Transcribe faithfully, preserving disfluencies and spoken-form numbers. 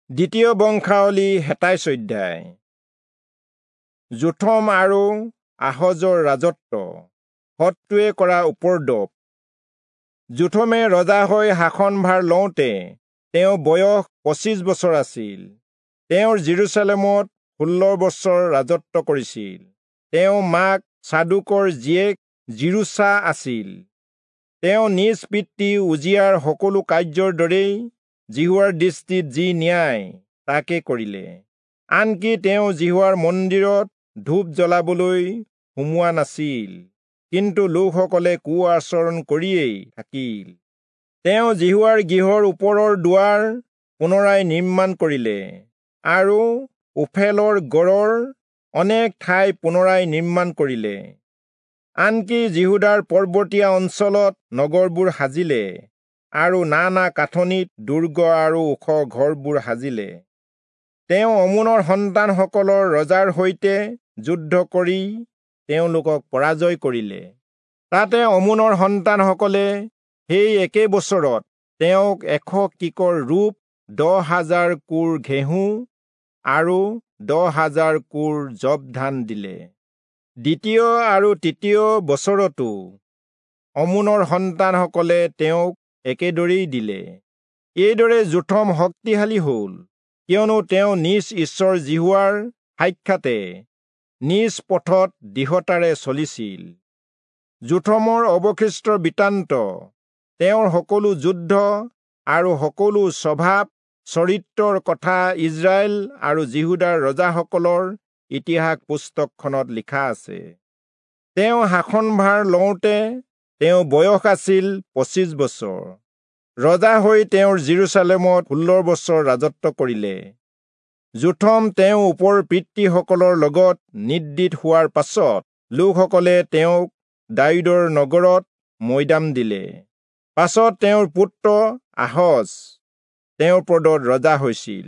দ্বিতীয় বংশাৱলী সাতাইশ অধ্যায়। যোথম আৰু আহজৰ ৰাজত্ব, শত্ৰুৱে কৰা উপদ্ৰৱ। যোথমে ৰজা হৈ শাসনভাৰ লওঁতে তেওঁ বয়স পঁচিছ বছৰ আছিল। তেওঁৰ যিৰূচালেমত ষোল্ল বছৰ ৰাজত্ব কৰিছিল। তেওঁ মাক চাদোকৰ জীয়েক যিৰূচা আছিল। তেওঁ নিজ পিতৃ উজিয়াৰ সকলো কাৰ্যৰ দৰেই যিহোৱাৰ দৃষ্টিত যি ন্যায় তাকে কৰিলে। আনকি তেওঁ যিহোৱাৰ মন্দিৰত ধূপ জ্বলাবলৈ সোমোৱা নাছিল, কিন্তু লোকসকলে কু আচৰণ কৰিয়েই থাকিল। তেওঁ যিহোৱাৰ গৃহৰ ওপৰৰ দুৱাৰ পুনৰাই নিৰ্মাণ কৰিলে আৰু ওফেলৰ গড়ৰ অনেক ঠাই পুনৰাই নিৰ্মাণ কৰিলে। আনকি যিহূদাৰ পৰ্বতীয়া অঞ্চলত নগৰবোৰ সাজিলে আৰু নানা কাঠনিত দুৰ্গ আৰু ওখ ঘৰবোৰ সাজিলে। তেওঁ অমোনৰ সন্তানসকলৰ ৰজাৰ সৈতে যুদ্ধ কৰি তেওঁলোকক পৰাজয় কৰিলে। তাতে অমোনৰ সন্তানসকলে সেই একে বছৰত তেওঁক এশ কিকৰ ৰূপ, দহ হাজাৰ কোৰ ঘেঁহু আৰু দহ হাজাৰ কোৰ যৱ ধান দিলে। দ্বিতীয় আৰু তৃতীয় বছৰতো অমোনৰ সন্তানসকলে তেওঁক একেদৰেই দিলে। এইদৰে যোথম শক্তিশালী হ'ল, কিয়নো তেওঁ নিজ ঈশ্বৰ যিহোৱাৰ সাক্ষাতে নিজ পথত দৃঢ়তাৰে চলিছিল। যোথমৰ অৱশিষ্ট বৃত্তান্ত, তেওঁৰ সকলো যুদ্ধ আৰু সকলো স্বভাৱ চৰিত্ৰৰ কথা ইস্ৰায়েল আৰু যিহূদাৰ ৰজাসকলৰ ইতিহাস পুস্তকখনত লিখা আছে। তেওঁ শাসনভাৰ লওঁতে তেওঁ বয়স আছিল পঁচিছ বছৰ। ৰজা হৈ তেওঁৰ যিৰূচালেমত ষোল্ল বছৰ ৰাজত্ব কৰিলে। যোথম তেওঁ ওপৰ পিতৃসকলৰ লগত নিদ্ৰিত হোৱাৰ পাছত লোকসকলে তেওঁক দায়ূদৰ নগৰত মৈদাম দিলে। পাছত তেওঁৰ পুত্ৰ আহজ তেওঁৰ পদত ৰজা হৈছিল।